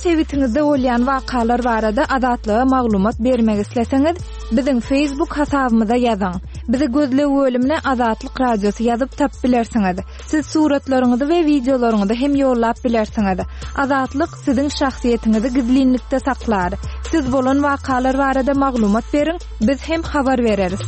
sebitiňizde bolýan wakalar barada Azatlyga maglumat bermek isleseňiz, biziň Facebook hasabymyza ýazyň. Bizi gözleg bölümine Azatlyk Radiosy ýazyp tapyp bilersiňiz. Siz suratlaryňyzy we wideolaryňyzy hem ýollap bilersiňiz. Azatlyk siziň şahsyýetiňizi gizlinlikde saklar. Siz bolan wakalar barada maglumat beriň, biz hem habar bereris.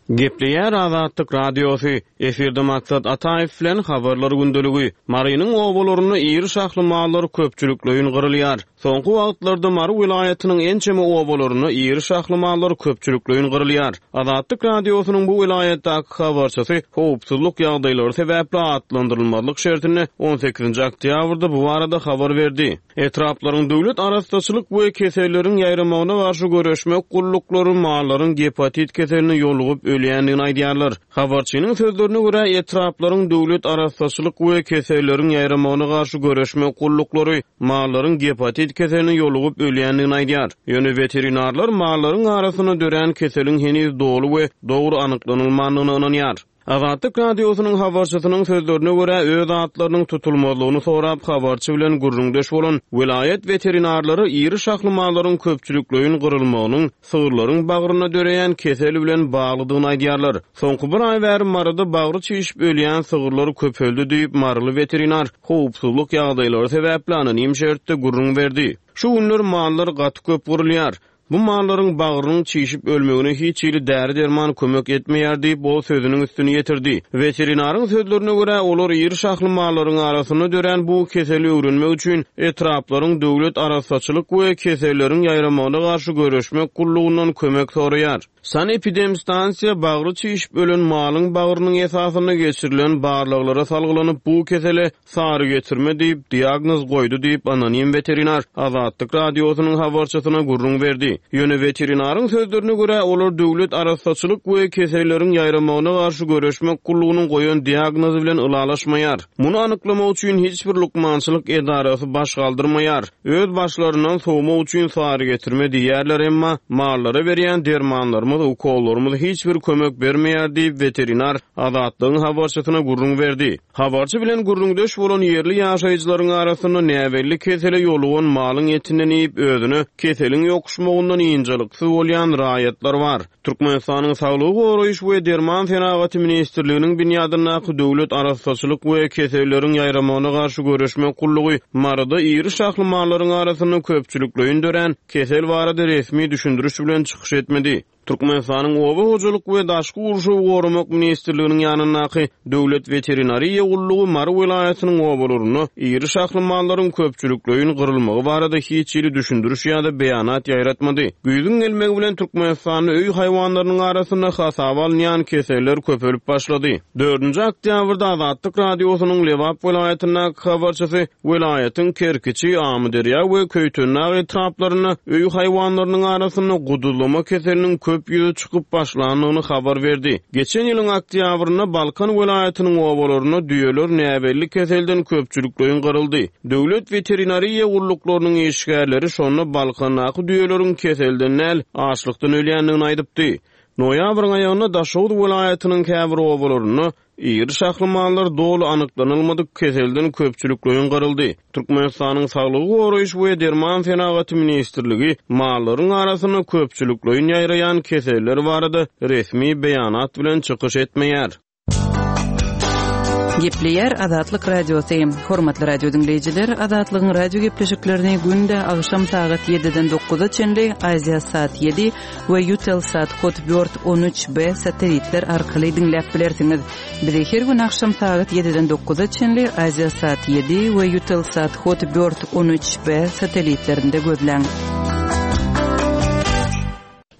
Gepleýär Azatlyk Radiosy, Efirde Maksat Ataýew bilen Habarlar gündeligi. Marynyň obalarynda iri şahly mallar köpçülikleýin gyrylýar. Soňky wagtlarda Mary welaýatynyň ençeme obalarynda iri şahly mallar köpçülikleýin gyrylýar. Azatlyk Radiosynyň bu welaýatdaky habarçysy howpsuzlyk ýagdaýlary sebäpli atlandyrylmazlyk şertinde on sekizinji oktýabrda bu barada habar berdi. Etraplaryň döwlet arassaçylyk we keselleriň ýaýramagyna garşy göreşmek gulluklary mallaryň gepatit keseline ýolugyp ölýändigini aýdýarlar. Habarçynyň sözlerine görä, etraplaryň döwlet arassaçylyk we keselleriň ýaýramagyna garşy göreşmek gulluklary mallaryň gepatit keseline ýolugyp ölýändigini aýdýar. Ýöne weterinarlar mallaryň arasynda dörän keseliň heniz doly we dogry anyklanylmandygyna ynanýar. Azatlyk Radiosynyň habarçysynyň sözlerine görä, öz atlarynyň tutulmazlygyny sorap, habarçy bilen gürrüňdeş bolan welaýat weterinarlary iri şahly mallaryň köpçülikleýin gyrylmagynyň sygyrlaryň bagrynda döreýän kesel bilen baglydygyny aýdýarlar. Soňky bir aý bäri Maryda bagry çişip ölýän sygyrlar köpeldi diýip, maryly weterinar howpsuzlyk ýagdaýlary sebäpli anonim şertde gürrüň berdi. Şu günler mallar gaty köp gyrylýar. Bu mallaryň bagrynyň çişip ölmegine hiç hili däri-derman kömek etmeýär diýip, ol sözüniň üstüni ýetirdi. Weterinaryň sözlerine görä, olar iri şahly mallaryň arasynda dörän bu keseli öwrenmek üçin etraplaryň döwlet arassaçylyk we keselleriň ýaýramagyna garşy göreşmek gullugyndan kömek soraýar. Sanepidemstansiýa bagry çişip ölen malyň bagrynyň esasynda geçirilen barlaglara salgylanyp, bu kesele Sary getirme diýip, diagnoz goýdy diýip, anonim weterinar Azatlyk Radiosynyň habarçysyna gürrüň berdi. Ýöne weterinaryň sözlerine görä, olar döwlet arassaçylyk we keselleriň ýaýramagyna garşy göreşmek gullugynyň goýan diagnozy bilen ylalaşmaýar. Muny anyklamak üçin hiç bir lukmançylyk edarasy baş galdyrmaýar. Öz başlaryndan sowmak üçin sary getirme diýýärler, emma mallara berýän dermanlarymyz, ukollarymyz hiç bir kömek bermeýär diýip, weterinar Azatlygyň habarçysyna gürrüň berdi. Habarçy bilen gürrüňdeş bolan ýerli ýaşaýjylaryň arasynda näbelli kesele ýolugan malyň etinden iýip, özüne keseliň ýokuşmagyndan ynjalyksyz bolýan raýatlar bar. Türkmenistanyň Saglygy goraýyş we derman senagaty ministrliginiň binýadyndaky Döwlet arassaçylyk we keselleriň ýaýramagyna garşy göreşmek gullugy Maryda iri şahly mallaryň arasynda köpçülikleýin dörän kesel barada resmi düşündiriş bilen çykyş etmedi. Türkmenistanyň Oba hojalyk we daşky gurşawy goramak ministrliginiň ýanyndaky Döwlet weterinariýa gullugy Mary welaýatynyň obalarynda iri şahly mallaryň köpçülikleýin gyrylmagy barada hiç hili düşündiriş ýa-da beýanat ýaýratmady. Güýzüň gelmegi bilen Türkmenistanda öý haýwanlarynyň arasynda hasaba alynýan keseller köpelip başlady. Dördünji oktýabrda Azatlyk Radiosynyň Lebap welaýatyndaky habarçysy Welaýatyň Kerkiçi, Amyderýa we Köýtendag etraplarynda öý haýwanlarynyň arasynda guduzlama keseliniň köp ýüze çykyp başlandygyny habar berdi. Geçen ýylyň oktýabrynda Balkan welaýatynyň obalarynda düýeler näbelli keselden köpçülikleýin gyryldy. Döwlet weterinariýa gulluklarynyň işgärleri şonda Balkandaky düýeleriň keselden däl, açlykdan ölýändigini aýdypdy. Noýabryň aýagynda Daşoguz welaýatynyň käbir obalarynda Iri şahly mallar doly anyklanylmadyk keselden köpçülikleýin gyryldy. Türkmenistanyň Saglygy goraýyş we derman senagaty ministrligi mallaryň arasynda köpçülikleýin ýaýraýan keseller barada resmi beýanat bilen çykyş etmeýär. Gepleýär Azatlyk Radiosy. Hormatly radio diňleýjiler, Azatlygyň radio gepleşiklerini günde agşam sagat 7-den 9-a çenli Aziasat 7 we Eutelsat Hotbird 13 B satelitler arkaly diňläp bilersiňiz. Bizi her gün agşam sagat 7-den 9-a çenli Aziasat 7 we Eutelsat Hotbird 13 B satelitlerinde gözläň.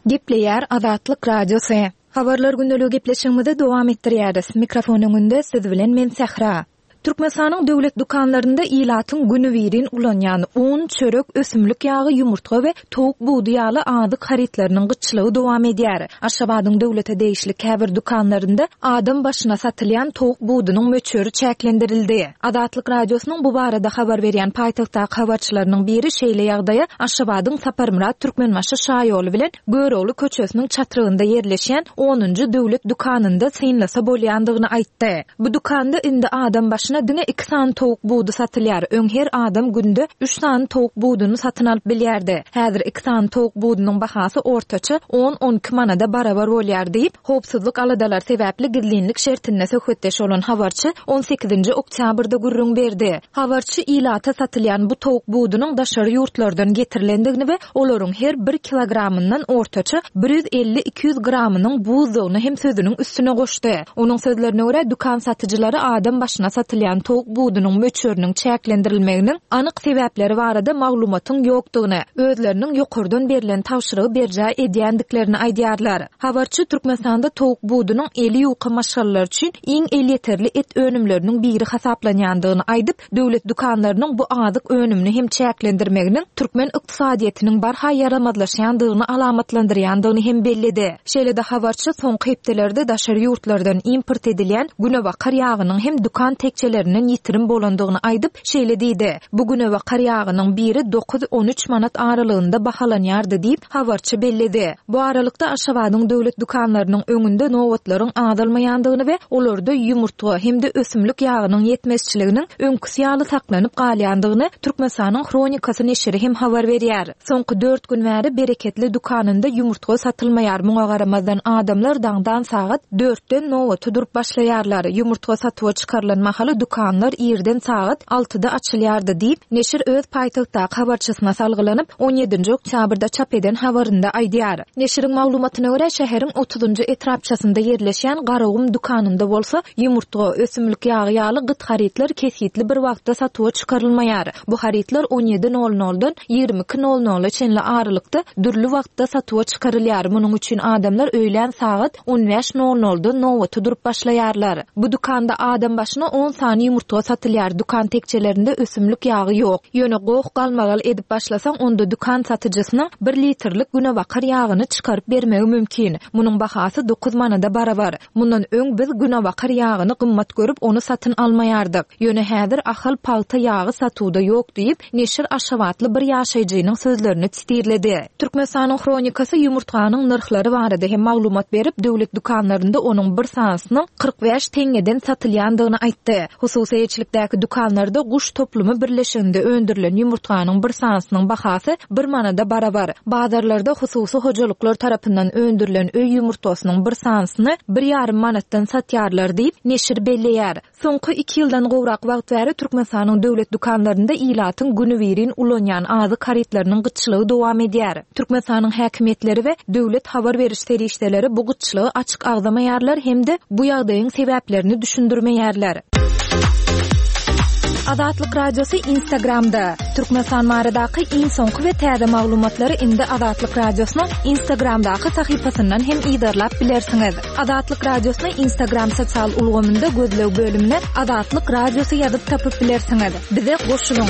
Gepleýär Azatlyk Radiosy. Habarlar gündeligi gepleşigimizi dowam etdirýäris. Mikrofon öňünde siz bilen men Sähra. Türkmenistanyň döwlet dükanlarynda ilatyň günübirin ulanýan un, çörek, ösümlik ýagy, ýumurtga we towuk budy ýaly azyk harytlarynyň gytçylygy dowam edýär. Aşgabadyň döwlete degişli käbir dükanlarynda adam başyna satylýan towuk budunyň möçberi çäklendirildi. Azatlyk Radiosynyň bu barada habar berýän paýtagtdaky habarçylarynyň biri şeýle ýagdaýa Aşgabadyň Saparmyrat Türkmenbaşy şaýoly bilen Görogly köçesiniň çatrygynda ýerleşýän onunjy döwlet dükanynda synlasa bolýandygyny aýtdy. Bu dükanda indi adam başyna. başyna diňe iki sany towuk budy satylýar. Öň her adam günde üç sany towuk buduny satyn alyp bilýärdi. Häzir iki sany towuk budunyň bahasy ortaça on-on iki manada barabar bolýar diýip, howpsuzlyk aladalary sebäpli gizlinlik şertinde söhbetdeş bolan habarçy on sekizinji oktýabrda gürrüň berdi. Habarçy ilata satylýan bu towuk budunyň daşary ýurtlardan getirilendigini we olaryň her bir kilogramyndan ortaça 150-200 gramynyň buzdugyny hem sözüniň üstüne goşdy. Onuň sözlerine görä, dükan satyjylary adam başyna satylýan towuk budunyň möçberiniň çäklendirilmeginiň anyk sebäpleri barada maglumatyň ýokdugyny, özleriniň ýokardan berlen tabşyrygy berjaý edýändiklerini aýdýarlar. Habarçy Türkmenistanda towuk budunyň eli ýuka maşgalalar üçin iň elýeterli et önümleriniň biri hasaplanýandygyny aýdyp, döwlet dükanlarynyň bu azyk önümini hem çäklendirmeginiň türkmen ykdysadyýetiniň barha ýaramazlaşýandygyny alamatlandyrýandygyny hem belledi. Şeýle-de habarçy soňky hepdelerde daşary ýurtlardan import edilýän günebakar ýagynyň hem dükan tekjelerinden ýitirim bolandygyny aýdyp, şeýle diýdi, Bu günebakar ýagynyň biri dokuz-on üç manat aralygynda bahalanýardy diýip, habarçy belledi. Bu aralykda, Aşgabadyň döwlet dükanlarynyň öňünde nobatlaryň azalmaýandygyny we olarda ýumurtga hem-de ösümlik ýagynyň ýetmezçiliginiň öňküsi ýaly saklanyp galýandygyny Türkmenistanyň Hronikasy neşiri hem habar berýär. Soňky dört gün bäri Bereketli dükanynda ýumurtga satylmaýar, muňa garamazdan adamlar daňdan sagat dörtden nobata durup başlaýarlar. Ýumurtga satuwa çykarylan mahaly dükanlar irden sagat altyda açylýardy diýip, neşir öz paýtagtdaky habarçysyna salgylanyp, on ýedinji oktýabrda çap eden habarynda aýdýar. Neşiriň maglumatyna görä, şäheriň otuzynjy etrapçasynda ýerleşýän Garagum dükanynda bolsa ýumurtga, ösümlik ýagy ýaly gyt harytlar kesgitli bir wagtda satuwa çykarylmaýar. Bu harytlar on ýedi nol noldan 22 nol nola çenli aralykda dürli wagtda satuwa çykarylýar. Munuň üçin adamlar öýlän sagat 15 nol noldan nobata durup başlaýarlar. Bu dükanda adam başyna on sany ýumurtga satylýar, dükan tekjelerinde ösümlik ýagy ýok. Ýöne goh-galmagal edip başlasaň, onda dükan satyjysynyň bir litrlik günebakar ýagyny çykaryp bermegi mümkin. Munuň bahasy dokuz manada barabar. Mundan öň biz günebakar ýagyny gymmat görüp, ony satyn almaýardyk. Ýöne häzir Ahal pagta ýagy satuwda ýok diýip, neşir aşgabatly bir ýaşaýjynyň sözlerini sitirledi. Türkmenistanyň Hronikasy ýumurtganyň nyrhlary barada hem maglumat berip, döwlet dükanlarynda onuň bir sanysynyň 45 teňňeden satylýandygyny aýtdy. Hususy eýeçilikdäki dükanlarda Guş toplumy birleşiginde öndürilen ýumurtganyň bir sanysynyň bahasy bir manada barabar. Bazarlarda hususy hojalyklar tarapyndan öndürilen öý ýumurtgasynyň bir sanysyny bir ýarym manatdan satýarlar diýip, neşir belleýär. Soňky iki ýyldan gowrak wagt bäri Türkmenistanyň döwlet dükanlarynda ilatyň günübirin ulanýan azyk harytlarynyň gytçylygy dowam edýär. Türkmenistanyň häkimiýetleri we döwlet habar beriş serişdeleri bu gytçylygy açyk agzamaýarlar hem-de bu ýagdaýyň sebäplerini düşündirmeýärler. Azatlyk Radiosy Instagramda, Türkmenistan baradaky iň soňky we täze maglumatlary indi Azatlyk Radiosynyň Instagramdaky sahypasyndan hem yzarlap bilersiňiz. Azatlyk Radiosyny Instagram sosial ulgamynda gözleg bölümine Azatlyk Radiosy ýazyp tapyp bilersiňiz. Bize goşulyň!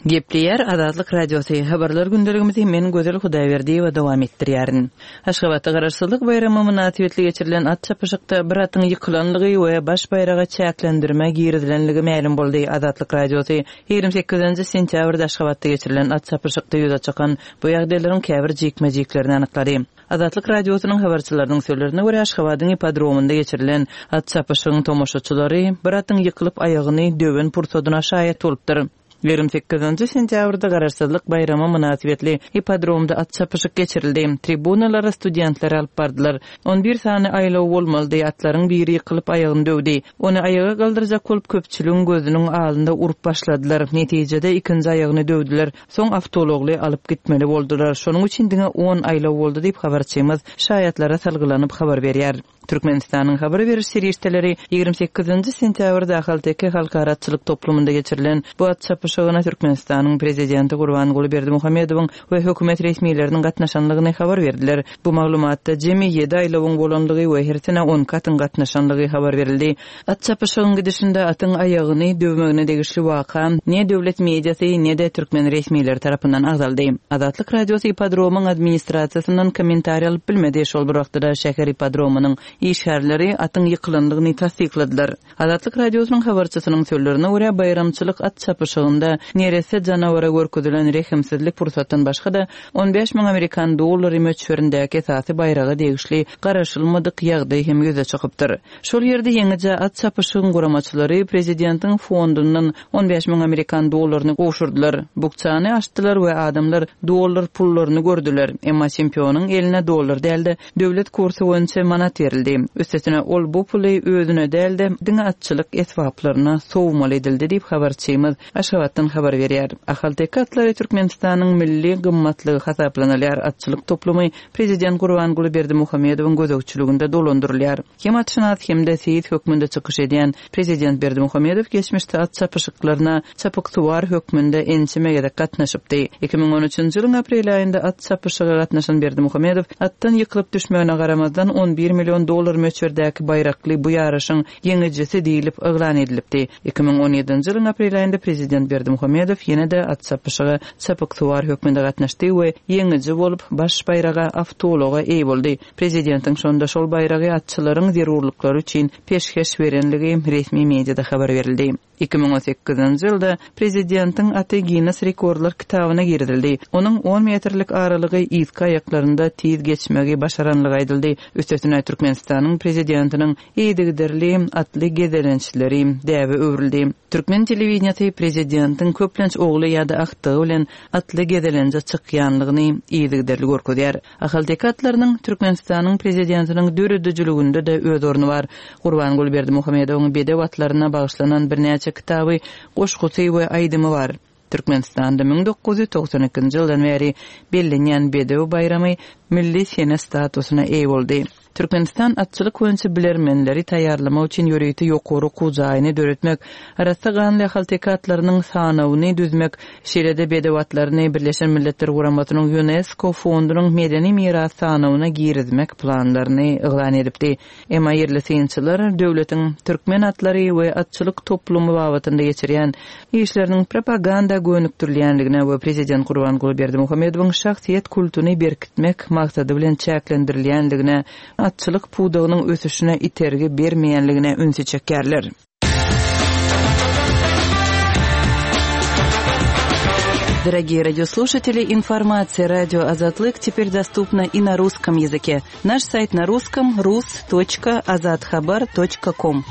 Gepleýär Azatlyk Radiosy, Habarlar gündeligimizi men Gözel Hudaýberdiýewa dowam etdirýärin. Aşgabatda Garaşsyzlyk baýramy mynasybetli geçirilen at çapyşykda bir atyň ýykylanlygy we baş baýraga çäklendirme girizilenligi mälim boldy. Azatlyk Radiosy 28-nji sentýabrda Aşgabatda geçirilen at çapyşykda ýüze çykan bu ýagdaýlaryň käbir jikme-jiklerini anyklady. Azatlyk Radiosynyň habarçylarynyň sözlerine görä, Aşgabadyň ippodromynda geçirilen at çapyşygyň tomaşaçylary bir atyň ýykylyp aýagyny döwen pursadyna şaýat bolupdyr. 28-nji sentýabrda Garaşsyzlyk baýramy mynasybetli ippodromda at çapyşyk geçirildi. Tribunalara studentleri alyp bardylar. On bir sany aýlaw bolmalydy, atlaryň biri ýykylyp aýagyny döwdi. Ony aýaga galdyrjak bolup köpçüligiň gözüniň alynda urup başladylar. Netijede ikinji aýagyny döwdüler. Soň awtoulagly alyp gitmeli boldular. Şonuň üçin diňe on aýlaw boldy diýip habarçymyz şaýatlara salgylanyp habar berýär. Türkmenistanyň habar beriş serişdeleri 28-nji sentýabrda Ahalteke halkara atçylyk toplumynda geçirilen bu at çapyşygyna Türkmenistanyň Prezidenti Gurbanguly Berdimuhamedowyň we hökümet resmileriniň gatnaşandygyny habar berdiler. Bu maglumatda jemi ýedi aýlawyň bolandygy we hersine on iki atyň gatnaşandygy habar berildi. At çapyşygyň gidişinde atyň aýagyny döwmegine degişli waka ne döwlet mediasy, ne-de türkmen resmileri tarapyndan agzaldy. Azatlyk Radiosy ippodromyň administrasiýasyndan kommentariý alyp bilmedi, şol bir wagtda-da şäher ippodromynyň işgärleri atyň ýykylandygyny tassykladylar. Azatlyk Radiosynyň habarçysynyň sözlerine görä, baýramçylyk at çapyşygynda. çapyşygynda neresse janawara görkezilen rehimsizlik pursatdan başga-da, 15 müň amerikan dollary möçberindäki esasy baýraga degişli garaşylmadyk ýagdaý hem ýüze çykypdyr. Şol ýerde ýeňijä at çapyşygyň guramaçylary prezidentiň fondundan 15 müň amerikan dollaryny gowşurdylar. Bukjany açdylar we adamlar dollar pullaryny gördüler. Emma çempionyň eline dollar däl-de, döwlet kursy boýunça manat berildi. Üstesine, ol bu puly özüne däl-de, diňe atçylyk esbaplaryna sowmaly edildi diýip, habarçymyz Aşgabatdan habar berýär. Ahalteke atlary Türkmenistanyň milli gymmatlygy hasaplanylýar. Atçylyk toplumy prezident Gurbanguly Berdimuhamedowyň gözegçiliginde dolandyrylýar. Hem atşynas, hem-de seýis hökmünde çykyş edýän prezident Berdimuhamedow geçmişde at çapyşyklaryna çapyksuwar hökmünde ençeme gezek gatnaşypdy. 2013-nji ýylyň aprel aýynda at çapyşyga gatnaşan Berdimuhamedow atdan ýykylyp düşmegine garamazdan, 11 million dollar möçberdäki baýrakly bu ýaryşyň ýeňijisi diýlip yglan edilipdi. 2017-nji ýylyň aprel aýynda prezident Berdimuhamedow ýene-de at çapyşyga çapyksuwar hökmünde gatnaşdy we ýeňiji bolup, baş baýraga, awtoulaga eýe boldy. Prezidentiň şonda şol baýragy atçylaryň zerurlyklary üçin peşgeş berenligi resmi mediada habar berildi. 2018-nji ýylda prezidentiň aty Ginnes rekordlar kitabyna girizildi. Onuň on metrlik aralygy yzky aýaklarynda tiz geçmegi başaranlygy aýdyldy. Üstesine, Türkmenistanyň Prezidentiniň yzygiderli atly gezelençleri däbe öwrüldi. Türkmen telewideniýesi prezidentiň köplenç ogly ýa-da agtygy bilen atly gezelenje çykýanlygyny yzygiderli görkezýär. Ahalteke atlarynyň Türkmenistanyň Prezidentiniň döredijiliginde-de öz orny bar. Gurbanguly Berdimuhamedowyň bedew atlaryna bagyşlanan birnäçe kitaby, goşgusy we aýdymy bar. Türkmenistanda 1992-nji ýyldan bäri bellenýän Bedew baýramy milli sene statusyna eýe boldy. Türkmenistan atçylyk boýunça bilermenleri taýýarlamak üçin ýörite ýokary okuw jaýyny döretmek, arassa ganly ahalteke atlarynyň sanawyny düzmek, şeýle-de bedew atlaryny Birleşen Milletler Guramasynyň Ýunesko fondunyň medeni miras sanawyna girizmek planlaryny yglan edipdi. Emma ýerli synçylar döwletiň türkmen atlary we atçylyk toplumy babatynda geçirýän işleriniň propaganda gönükdirilýändigine we prezident Gurbanguly Berdimuhamedowyň şahsyýet kultuny berkitmek maksady bilen çäklendirilýändigine, atçylyk pudagynyň ösüşine itergi bermeýänligine ünsi çekýärler. Дорогие радиослушатели, информация радио Азатлык теперь доступна и на русском языке. Наш сайт на русском rus.azathabar.com.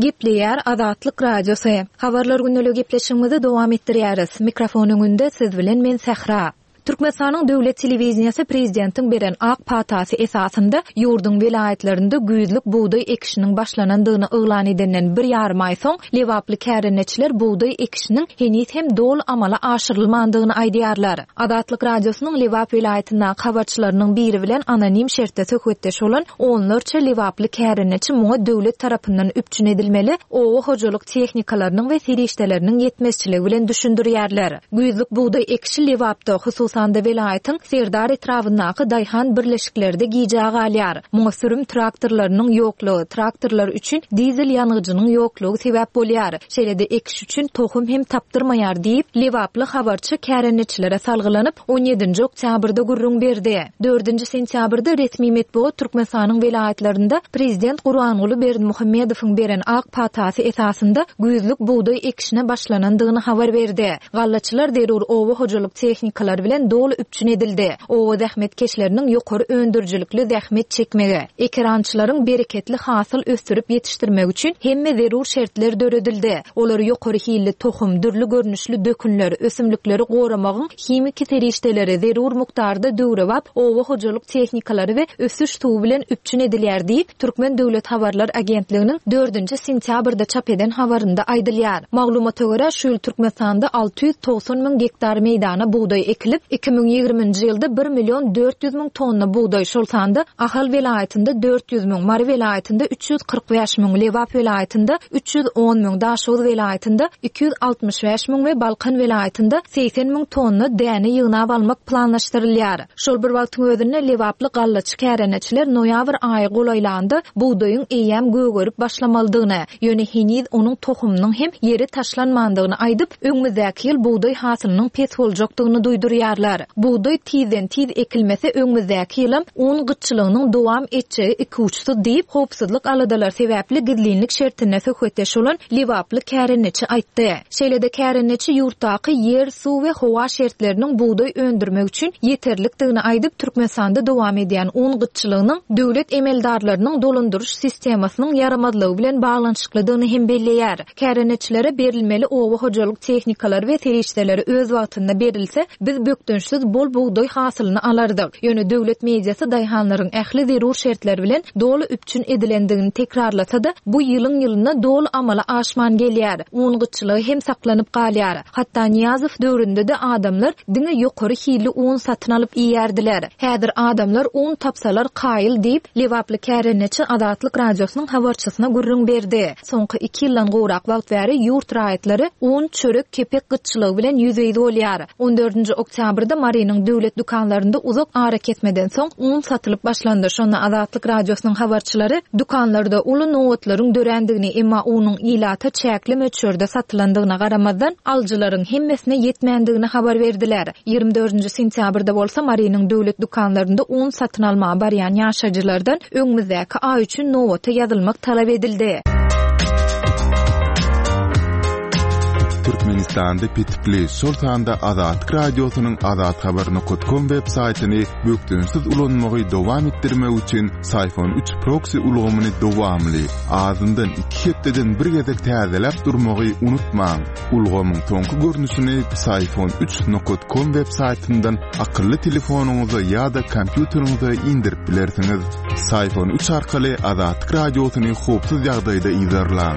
Gepleýär Azatlyk Radiosy. Habarlar gündeligi gepleşigimizi dowam etdirýäris. Mikrofon öňünde siz bilen men Sähra. Türkmenistanyň döwlet telewideniýesi prezidentiň beren ak patasy esasynda ýurduň welaýatlarynda güýzlük bugdaý ekişiniň başlanandygyny yglan edenden bir ýarym aý soň, lebaply kärendeçiler bugdaý ekişiniň heniz hem doly amala aşyrylmandygyny aýdýarlar. Azatlyk Radiosynyň Lebap welaýatyndaky habarçylarynyň biri bilen anonim şertde söhbetdeş bolan onlarça lebaply kärendeçi muňa döwlet tarapyndan üpjün edilmeli oba hojalyk tehnikalarynyň we serişdeleriniň ýetmezçiligi bilen düşündirýärler. Güýzlük bugdaý ekişi Lebapda, hususan-da welaýatyň Serdar etrabyndaky daýhan birleşiklerde gijä galýar. Muňa sürüm traktorlarynyň ýoklugy, traktorlar üçin dizel ýangyjynyň ýoklugy sebäp bolýar. Şeýle-de ekiş üçin tohum hem tapdyrmaýar diýip, lebaply habarçy kärendeçilere salgylanyp, on ýedinji oktýabrda gürrüň berdi. Dördünji sentýabrda resmi metbugat Türkmenistanyň welaýatlarynda prezident Gurbanguly Berdimuhamedowyň beren ak patasy esasynda güýzlük bugdaý ekişine başlanandygyny habar berdi. Gallaçylar zerur oba hojalyk tehnikalary bilen doly üpjün edildi. Oba zähmetkeşleriniň ýokary öndürijilikli zähmet çekmegi, ekerançylaryň bereketli hasyl ösdürip ýetişdirmegi üçin hemme zerur şertler döredildi. Olar ýokary hilli tohum, dürli görnüşli dökünler, ösümlikleri goramagyň himiki serişdeleri, zerur mukdarda döwrebap oba hojalyk tehnikalary we ösüş suwy bilen üpjün edilýär diýip, Türkmen döwlet habarlar agentliginiň dördünji sentýabrda çap eden habarynda aýdylýar. Maglumata görä, şu ýyl Türkmenistanda 690 müň gektar meýdana bugdaý ekilip, 2020-nji ýylda bir million 400 müň tonna bugdaý, şol sanda Ahal welaýatynda 400 müň, Mary welaýatynda 345 müň, Lebap welaýatynda 310 müň, Daşoguz welaýatynda 265 müň we Balkan welaýatynda 80 müň tonna däne ýygnap almak planlaşdyrylýar. Şol bir wagtyň özünde lebaply gallaçy kärendeçiler noýabr aýy golaýlanda bugdaýyň eýýäm gögerip başlamalydygyny, ýöne heniz onuň tohumynyň hem ýere taşlanmandygyny aýdyp, öňümizdäki ýyl bugdaý hasylynyň pes boljakdygyny duýdurýarlar. aýdýarlar. Bugdaý tizden-tiz ekilmese öňümizdäki ýylam un gytçylygynyň dowam etjegi ikuçsuz diýip, howpsuzlyk aladalary sebäpli gizlinlik şertinde söhbetdeş bolan lebaply kärendeçi aýtdy. Şeýle-de kärendeçi ýurtdaky ýer, suw we howa şertleriniň bugdaý öndürmek üçin ýeterlikdigini aýdyp, Türkmenistanda dowam edýän un gytçylygynyň döwlet emeldarlarynyň dolandyryş sistemasynyň ýaramazlygy bilen baglanyşyklydygyny hem belleýär. Kärendeçilere berilmeli oba hojalyk tehnikalary we serişdeleri öz wagtynda berilse, biz bökdençsiz bol bugdaý hasylyny alardyk. Ýöne döwlet mediasy daýhanlaryň ähli zerur şertler bilen doly üpjün edilendigini tekrarlasa-da, bu ýylyň-ýylyna doly amala aşman gelýär. Un gytçylygy hem saklanyp galýar. Hatda Nyýazow döwründe-de adamlar diňe ýokary hilli un satyn alyp iýýärdiler. Häzir adamlar un tapsalar kaýyl diýip, lebaply kärendeçi Azatlyk Radiosynyň habarçysyna gürrüň berdi. Soňky iki ýyldan gowrak wagt bäri ýurt raýatlary un, çörek, kepek gytçylygy bilen ýüzbe-ýüz bolýar. On dördünji oktýabrda Marynyň döwlet dükanlarynda uzak arakesmeden soň un satylyp başlandy. Şonda Azatlyk Radiosynyň habarçylary dükanlarda uly nobatlaryň dörändigini, emma unuň ilata çäkli möçberde satylandygyna garamazdan, alyjylaryň hemmesine ýetmändigini habar berdiler. 24 nji sentýabrda bolsa Marynyň döwlet dükanlarynda un satyn almaga barýan ýaşaýjylardan öňümizdäki aý üçin nobata ýazylmak talap edildi. Türkmenistanda petikli, şol sanda Azatlyk Radiosynyň azathabar.com web saýtyny bökdençsiz ulanmagy dowam etdirmek üçin Syfon 3 proksi ulgamyny dowamly, azyndan iki hepdeden bir gezek täzeläp durmagy unutmaň. Ulgamyň soňky görnüşini Psiphon 3 nokat com web saýtyndan akylly telefonyňyza ýa-da kompýuteriňize indirip bilersiňiz. Psiphon 3 arkaly Azatlyk Radiosyny howpsuz ýagdaýda yzarlaň.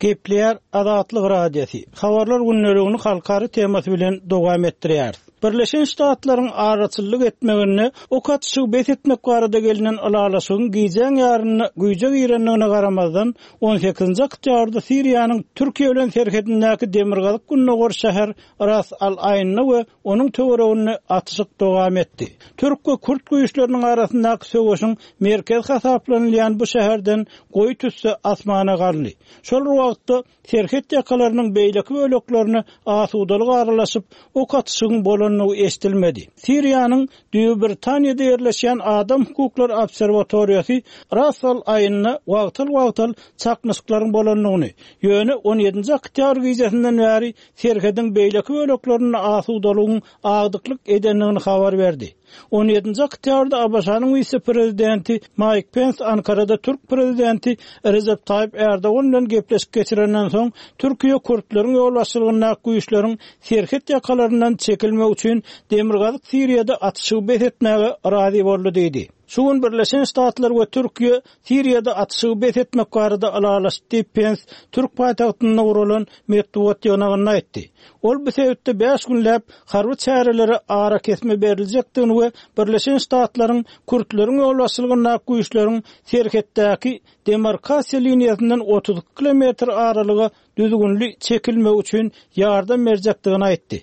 Gepleýär Azatlyk Radiosy. Habarlar gündeligini halkara temasy bilen dowam etdirýäris. Birleşen Ştatlaryň araçyllyk etmeginde ok atyşygy bes etmek barada gelnen ylalaşygyň gijäň ýarynda güýje girendigine garamazdan, on sekizinji oktýabrda Siriýanyň Türkiýe bilen serhedindäki demirgazyk-gündogar şäher Ras al-Aýnda we onuň töwereginde atyşyk dowam etdi. Türk we kürt güýçleriniň arasyndaky söweşiň merkezi hasaplanylýan bu şäherden goýy tüsse asmana galdy. Şol bir wagtda, Serhet ýakalarynyň beýleki böleklerine asudalyk aralaşyp, ok atyşygyň bolandygy eşidilmedi. Siriýanyň Düýbi Britaniýada ýerleşýän Adam hukuklary obserwatoriýasy Ras al-Aýnda wagtal-wagtal çaknyşyklaryň bolandygyny, ýöne on ýedinji oktýabr gijesinden bäri serhediň beýleki böleklerinde asudalygyň agdyklyk edendigini habar berdi. On ýedinji oktýabrda ABŞ-nyň wise-prezidenti Maýk Pens Ankarada türk prezidenti Rejep Taýyp Ärdogan bilen gepleşik geçirenden soň, Türkiýe kürtleriň ýolbaşçylygyndaky güýçleriň serhet ýakalaryndan çekilmegi üçin Demirgazyk Siriýada atyşygy bes etmäge razy boldy diýdi. Şu gün Birleşen Ştatlar we Türkiýe Siriýada atyşygy bes etmek barada ylalaşdy diýip, Pens türk paýtagtynda guralan metbugat ýygnagynda aýtdy. Ol bu sebitde bäş günläp harby çärelere arakesme beriljekdigini we Birleşen Ştatlaryň kürtleriň ýolbaşçylygyndaky güýçleriň serhetdäki demarkasiýa liniýasyndan 32 kilometr aralyga düzgünli çekilmegi üçin ýardam berjekdigini aýtdy.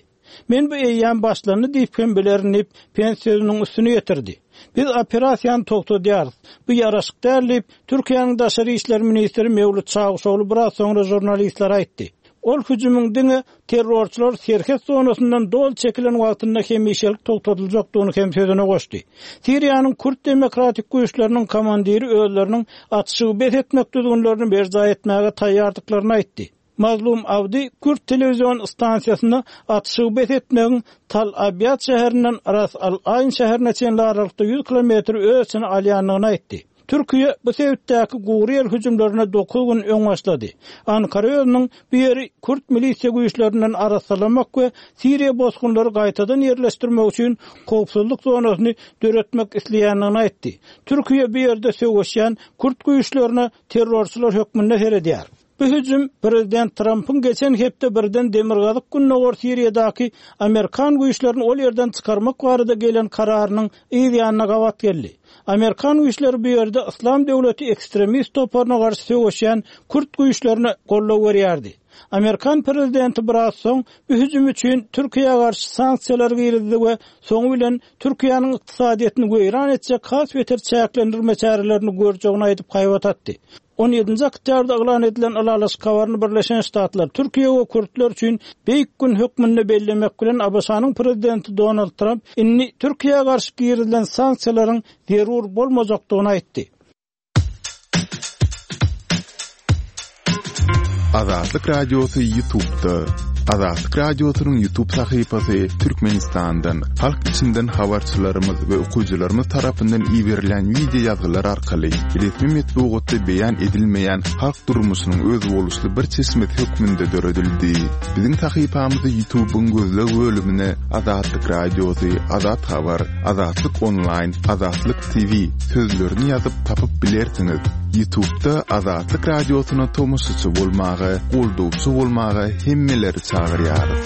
Men bu eýýäm başlandy diýip hem bilerin diýip, Pens sözüniň üstüni ýetirdi. Biz operasiýany togtadýarys. Bu ýaraşyk däl diýip, Türkiýäniň daşary işler ministri Mewlüt Çawuşogly biraz soňra žurnalistlere aýtdy. Ol hüjümiň diňe terrorçylar serhet zonasyndan doly çekilen wagtynda hemişelik togtadyljakdygyny hem sözüne goşdy. Siriýanyň Kürt demokratik güýçleriniň komandiri özleriniň atyşygy bes etmek düzgünlerini berjaý etmäge taýýardyklaryny aýtdy. Mazlum Abdi kürt telewizion stansiýasynda atyşygy bes etmegiň Tal Abýad şäherinden Ras al-Aýn şäherine çenli aralykda ýüz kilometri öz içine alýandygyny aýtdy. Türkiýe bu sebitdäki gury ýer hüjümlerine dokuz gün öň başlady. Ankara özüniň bu ýeri kürt milisiýa güýçlerinden arassalamak we siriýa bosgunlary gaýtadan ýerleşdirmek üçin howpsuzlyk zonasyny döretmek isleýändigini aýtdy. Türkiýe bu ýerde söweşýän kürt güýçlerine terrorçylar hökmünde seredýär. Bu hüjüm prezident Trampyň geçen hepde birden demirgazyk-gündogar Siriýadaky amerikan güýçlerini ol ýerden çykarmak barada gelen kararynyň yz ýanyna gabat geldi. Amerikan güýçleri bu ýerde Yslam döwleti ekstremist toparyna garşy söweşýän kürt güýçlerine goldaw berýärdi. Amerikan prezidenti biraz soň bu hüjüm üçin Türkiýä garşy sanksiýalar girizdi we soňy bilen Türkiýäniň ykdysadyýetini weýran etjek has beter çäklendirme çärelerini görjegini aýdyp haýbat atdy. On ýedinji oktýabrda yglan edilen ylalaşyk habaryny Birleşen Ştatlar, Türkiýe we kürtler üçin beýik gün hökmünde bellemek bilen, ABŞ-nyň prezidenti Donald Tramp indi Türkiýä garşy girizilen sanksiýalaryň zerur bolmajakdygyny aýtdy. Azatlyk Radiosy Ýutubda. Azatlyk Radiosynyň Ýutub sahypasy Türkmenistandan, halk içinden habarçylarymyz we okyjylarymyz tarapyndan iberilýän wideo ýazgylar arkaly resmi metbugatda beýan edilmeýän halk durmuşynyň özboluşly bir çeşmesi hökmünde döredildi. Biziň sahypamyzy Ýutubyň gözleg bölümine Azatlyk Radiosy, Azat Habar, Azatlyk Onlaýn, Azatlyk TV sözlerini ýazyp tapyp bilersiňiz. Ýutubda Azatlyk Radiosyna tomaşaçy bolmaga, goldawçy bolmaga hemmeleri çagyrýarys.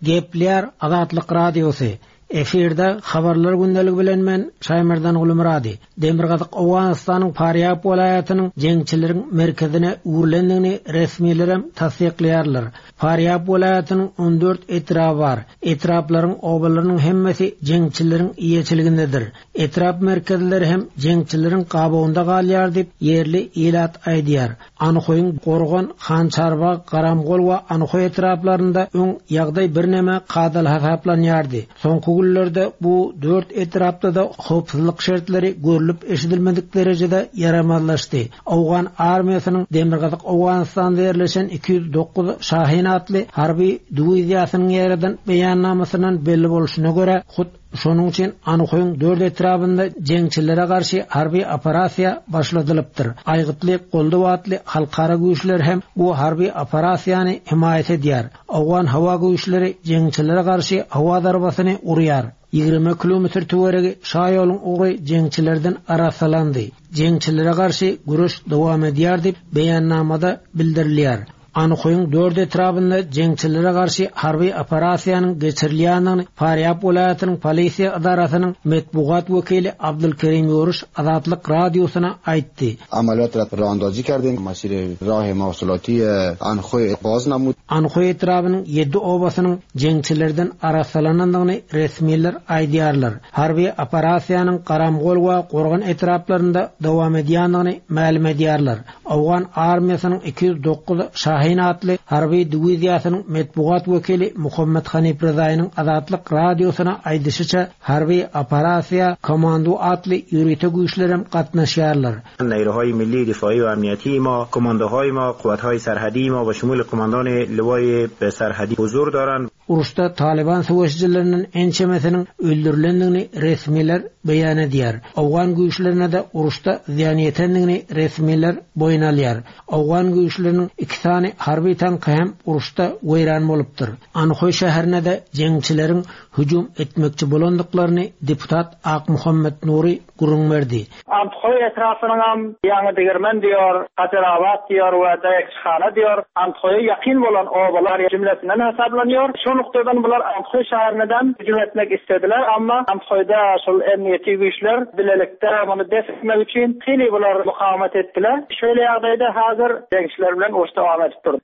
Gepleýär Azatlyk Radiosy. Efirde Habarlar gündeligi bilen men Şaýmerdan Gulumyrady. Demirgazyk Owganystanyň Farýab welaýatynyň jeňçileriň merkezine öwrülendigini resmilerem tassyklaýarlar. Farýab welaýatynyň 14 etraby bar. Etraplaryň obalarynyň hemmesi jeňçileriň eýeçiligindedir. Etrap merkezleri hem jeňçileriň gabawynda galýar diýip, ýerli ilat aýdýar. Anhoýyň Gorgan, Hançarbag, Garamgol we Anhoý etraplarynda öň ýagdaý birneme kadaly hasaplanýardy. Soňky günlerde bu dört etrapda-da howpsuzlyk şertleri görlüp-eşidilmedik derejede ýaramazlaşdy. Owgan armiýasynyň Demirgazyk Owganystanda ýerleşen 209 Şahin atly harby diwiziýasynyň ýaýradan beýannamasyndan belli bolşuna görä, hut şonuň üçin Anhoýyň dört etrabynda jeňçilere garşy harby operasiýa başladylypdyr. Aýgytly goldaw atly halkara güýçler hem bu harby operasiýany hemaýat edýär. Owgan howa güýçleri jeňçilere garşy howa zarbasyny urýar. 20 kilometr töweregi şaýoluň ugry jeňçilerden arassalandy. Jeňçilere garşy göreş dowam edýär diýip, beýannamada bildirilýär. Anhoýyň dört etrabynda jeňçilere garşy harby operasiýanyň geçirilýändigini Farýab welaýatynyň polisiýa edarasynyň metbugat wekili Abdulkerim Ýoruş Azatlyk Radiosyna aýtdy. عملیات را راه اندازی کردیم مسیر راه مواصلاتی انخوی باز نمود. Anhoý etrabynyň ýedi obasynyň jeňçilerden arassalanandygyny resmiler aýdýarlar. Harby operasiýanyň Garamgol we Gorgan etraplarynda dowam edýändigini mälim edýärler. Owgan armiýasynyň 209 Şahin atly harby diwiziýasynyň metbugat wekili Muhammet Hanif Rezaýynyň Azatlyk Radiosyna aýdyşyça, harby operasiýa Komando atly ýörite güýçlerem gatnaşýarlar. نیروهای ملی دفاعی و امنیتی ما، کماندوهای ما، قوتهای سرحدی ما و شمول قماندان لوای سرحدی حضور دارند. Uruşda Talyban söweşijilerinden ençemesiniň öldürilendigini resmiler beýan edýär. Owgan güýçlerine-de uruşda zyýan ýetendigini resmiler boýun alýar. Owgan güýçleriniň iki sany harby tanky hem uruşda weýran bolupdyr. Anhoý şäherine-de jeňçileriň hüjüm etmekçi bolandyklaryny deputat Akmuhammet Nury gürrüň berdi. Anthoý etrapynyňam Ýaňy Degirmen diýor, Gajarabat diýor we Daýakçyhana diýor, Anthoýa ýakyn bolan obalar jümlesinden hasaplanýar. Şu nukdadan bular Anthoý şäherinedem hüjüm etmek islediler, amma Anthoýda şol emniýeti güýçler bilelikde muny def etmek üçin hili bular mukawemet etdiler. Şeýle ýagdaýda häzir jeňçiler bilen uruş dowam edip dur.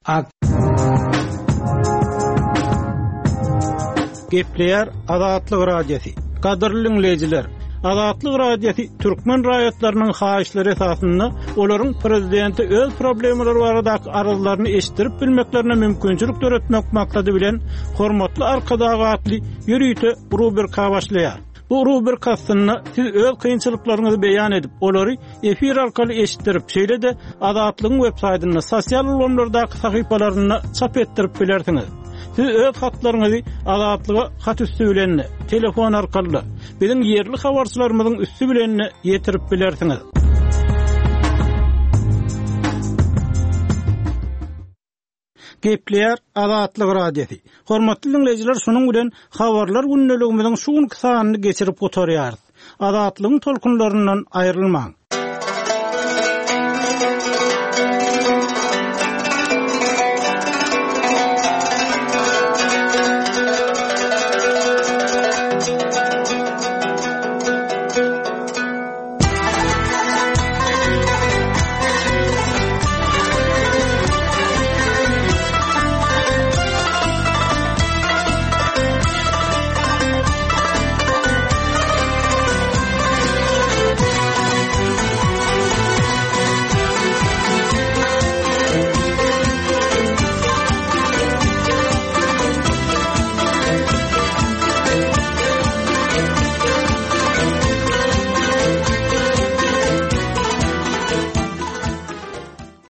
Gepleýär Azatlyk Radiosy. Gadyrly diňleýjiler, Azatlyk Radiosy türkmen raýatlarynyň haýyşlary esasynda olaryň prezidente öz problemalary baradaky arzlaryny eşitdirip bilmeklerine mümkinçilik döretmek maksady bilen Hormatly Arkadag atly ýörite rubrika başlaýar. Bu rubrika astynda siz öz kynçylyklaryňyzy beýan edip, olary efir arkaly eşitdirip, şeýle-de Azatlygyň websaýtynda, sosial ulgamlardaky sahypalarynda çap etdirip bilersiňiz. Siz öz hatlaryňyzy Azatlyga hat üsti bilen-de, telefon arkaly-da, biziň ýerli habarçylarymyzyň üsti bilen-de ýetirip bilersiňiz. Gepleýär Azatlyk Radiosy. Hormatly diňleýjiler, şunuň bilen Habarlar gündeligimiziň şu günki sanyny geçirip gutarýarys. Azatlygyň tolkunlaryndan aýrylmaň!